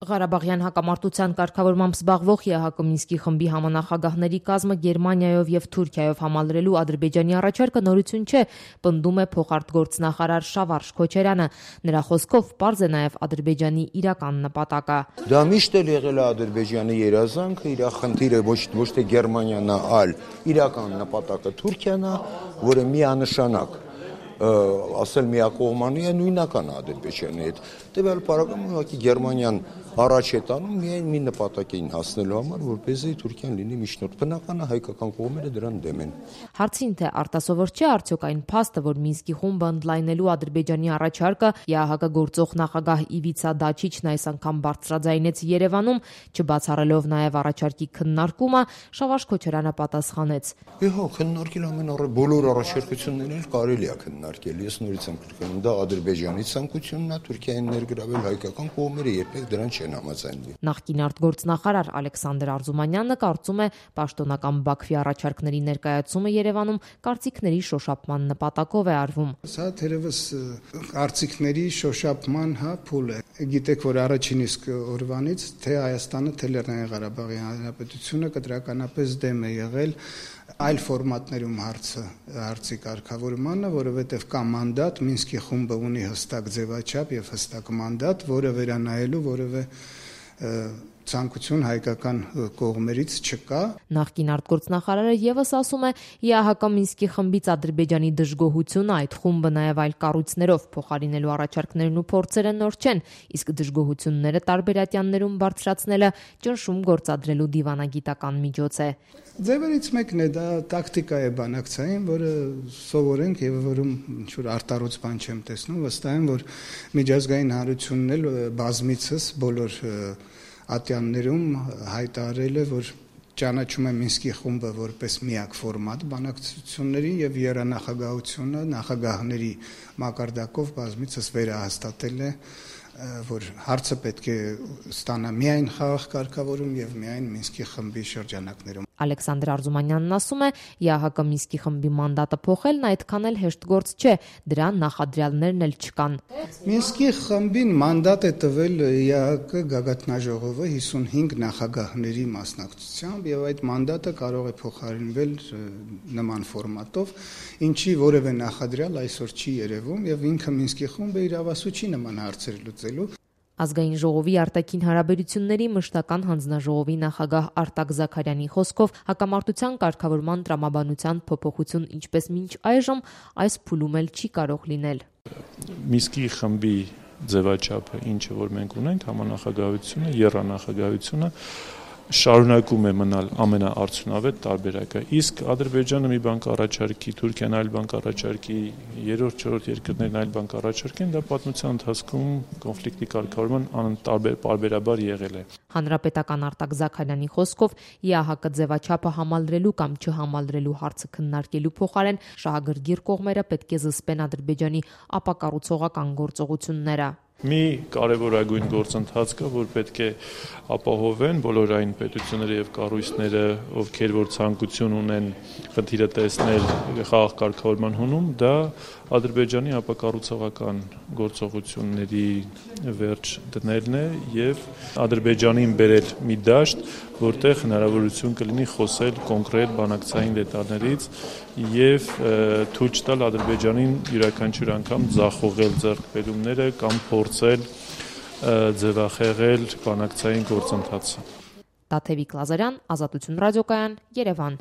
Ղարաբաղյան հակամարտության կարգավորմամբ զբաղվող ԵԱՀԿ Մինսկի խմբի համանախագահների կազմը Գերմանիայով եւ Թուրքիայով համալրելու Ադրբեջանի առաջարկը նորություն չէ, պնդում է փոխարտգործնախարար Շավարժ Քոչարյանը։ Նրա խոսքով պարզ է նաեւ Ադրբեջանի իրական նպատակը։ Դա միշտ էլ եղել է Ադրբեջանի երազանքը, իր խնդիրը ոչ թե Գերմանիան է, այլ իրական նպատակը Թուրքիան է, որը միանշանակ ասել միակողմանի է, նույնական Ադրբեջանի հետ։ Տվյալ պարագայում ուղղակի Գերմանիան առաջ է տանում միայն մի նպատակին հասնելու համար, որպեսզի Թուրքիան լինի միջնորդ։ Բնական է հայկական կողմերը դրան դեմ են։ Հարցին թե արտասովոր չէ արդյոք այն փաստը, որ Մինսկի խումբը ընդլայնելու Ադրբեջանի առաջարկը ԵԱՀԿ գործող նախագահ Իվիցա Դաչիչն այս անգամ բարձրաձայնեց Երևանում, չբացառելով նաև առաջարկի քննարկումը, Շավարժ Քոչարյանը պատասխանեց. Քննարկել բոլոր առաջարկություններն էլ կարելի է քննարկել։ Ես նորից եմ կրկնում, դա Ադրբեջանի ցանկությունն է, Թուրքիային ներգրավել, հայկական կողմերը երբեք դրան չեն համաձայնվի։ Նախկին արտգործնախարար Ալեքսանդր Արզումանյանը կարծում է, պաշտոնական Բաքվի առաջարկների ներկայացումը Երևանում կարծիքների շոշափման նպատակով է արվում։ Սա թերևս կարծիքների շոշափման փուլ է։ Գիտեք, որ առաջին իսկ օրվանից թե Հայաստանը, թե Լեռնային Ղարաբաղի Հանրապետությունը կտրականապես դեմ է եղել այլ ֆորմատներում հարցի կարգավորմանը, որովհետև կա մանդատ, Մինսկի խումբը ունի հստակ ձևաչափ եւ հստակ մանդատ, որը վերանայելու որևէ ցանկություն հայկական կողմերից չկա։ Նախկին արտգործնախարարը եւս ասում է, ԵԱՀԿ Մինսկի խմբից Ադրբեջանի դժգոհությունը այդ խումբը նաեւ այլ կառույցներով փոխարինելու առաջարկներն ու փորձերը նոր չեն, իսկ դժգոհությունները տարբերատյաններում բարձրացնելը ճնշում գործադրելու դիվանագիտական միջոց է։ Ձևերից մեկն է, դա տակտիկա է բանակցային, որը սովորենք եւ որում ինչ-որ արտառոց բան չեմ տեսնում, վստահ եմ, որ միջազգային հանրությունն էլ բազմիցս բոլոր ատյաններում հայտարարել է, որ ճանաչում է Մինսկի խումբը որպես միակ ֆորմատ բանակցությունների եւ երանախագահությունը նախագահների մակարդակով բազմիցս վերահաստատել է, որ հարցը պետք է ստանա միայն խաղաղ կարգավորում եւ միայն Մինսկի խմբի շրջանակներում։ Ալեքսանդր Արզումանյանն ասում է, ԵԱՀԿ Մինսկի խմբի մանդատը փոխելն այդքան էլ հեշտ գործ չէ, դրան նախադրյալներն էլ չկան։ Մինսկի խմբին մանդատ է տվել ԵԱՀԿ գագաթնաժողովը 55 նախագահների մասնակցությամբ եւ այդ մանդատը կարող է փոխարինվել նման ֆորմատով, ինչի որևէ նախադրյալ այսօր չի երևում եւ ինքը Մինսկի խումբը իրավասու չի նման հարցեր լուծելու։ Ազգային ժողովի արտաքին հարաբերությունների մշտական հանձնաժողովի նախագահ Արտակ Զաքարյանի խոսքով հակամարտության կարգավորման տրամաբանության փոփոխություն ինչպես մինչ այժմ այս փուլում էլ չի կարող լինել։ Մինսկի խմբի ձևաչափը, ինչը որ մենք ունենք, համանախագահությունը, եռանախագահությունը շարունակում է մնալ ամենաարդյունավետ տարբերակը, իսկ Ադրբեջանը մի բան կառաջարկի, Թուրքիան այլ բան կառաջարկի, երրորդ, չորրորդ երկրներն այլ բան կառաջարկեն, դա պատմության ընթացքում կոնֆլիկտի կարգավորման պարբերաբար եղել է։ Հանրապետական Արտակ Զաքարյանի խոսքով ԵԱՀԿ ձևաչափը համալրելու կամ չհամալրելու հարցը քննարկելու փոխարեն շահագրգիռ կողմերը պետք է զսպեն Ադրբեջանի ապակառուցողական գործողությունները։ Մի կարևորագույն գործընթաց կա, որ պետք է ապահովեն բոլոր այն պետությունները եւ կառույցները, ովքեր որ ցանկություն ունեն խնդիրը տեսնել խաղաղ կարգավորման հունում, դա Ադրբեջանի ապակառուցողական գործողությունների վերջ դնելն է եւ Ադրբեջանին բերել մի դաշտ, որտեղ հնարավորություն կլինի խոսել կոնկրետ բանակցային դետալներից եւ թույլ չտալ Ադրբեջանին յուրաքանչյուր անգամ ձախողել ձեռքբերումները կամ փորձել ձևախեղել բանակցային գործընթացը։ Տաթևիկ Լազարյան, Ազատություն ռադիոկայան, Երևան։